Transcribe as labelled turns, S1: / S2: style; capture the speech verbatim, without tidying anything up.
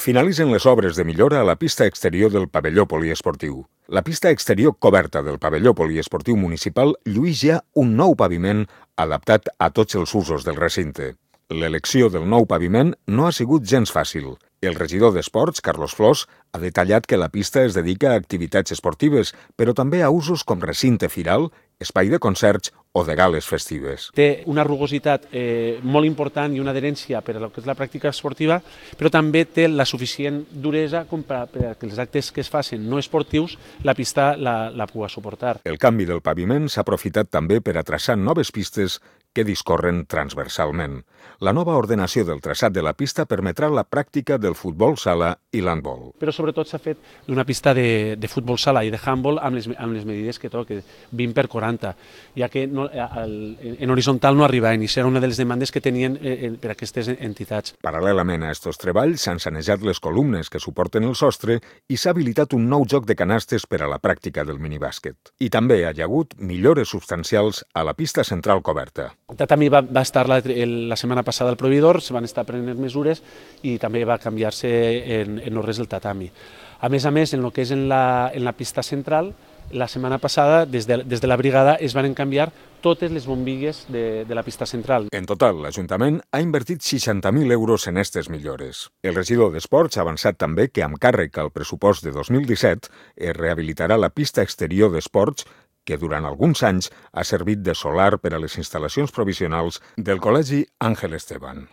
S1: Finalitzen les obres de millora a la pista exterior del pavelló poliesportiu. La pista exterior coberta del pavelló poliesportiu municipal lluís ja un nou paviment adaptat a tots els usos del recinte. L'elecció del nou paviment no ha sigut gens fàcil. El regidor d'Esports, Carlos Flors, ha detallat que la pista es dedica a activitats esportives, però també a usos com recinte firal, espai de concerts o de gales festives.
S2: Té una rugositat eh, molt important i una adherència per a lo que és la pràctica esportiva, però també té la suficient duresa com per a, per a que els actes que es facin no esportius la pista la, la pugui suportar.
S1: El canvi del paviment s'ha aprofitat també per a traçar noves pistes que discorren transversalment. La nova ordenació del traçat de la pista permetrà la pràctica del futbol sala i l'handbol.
S2: Però sobretot s'ha fet d'una pista de, de futbol sala i de handbol amb les, amb les medides que toca, vint per quaranta, ja que no, el, en horitzontal no arribaven i serà una de les demandes que tenien eh, per a aquestes entitats.
S1: Paral·lelament a aquests treballs s'han sanejat les columnes que suporten el sostre i s'ha habilitat un nou joc de canastes per a la pràctica del minibàsquet. I també hi ha hagut millores substancials a la pista central coberta.
S2: El tatami va, va estar la, la setmana passada al proveïdor, se van estar prenent mesures i també va canviar-se en, en no res el tatami. A més a més, en el que és en la, en la pista central, la setmana passada, des de, des de la brigada, es van canviar totes les bombilles de, de la pista central.
S1: En total, l'Ajuntament ha invertit seixanta mil euros en aquestes millores. El regidor d'Esports ha avançat també que, amb càrrec al pressupost de dos mil disset, es rehabilitarà la pista exterior d'esports que durant alguns anys ha servit de solar per a les instal·lacions provisionals del Col·legi Àngel Esteban.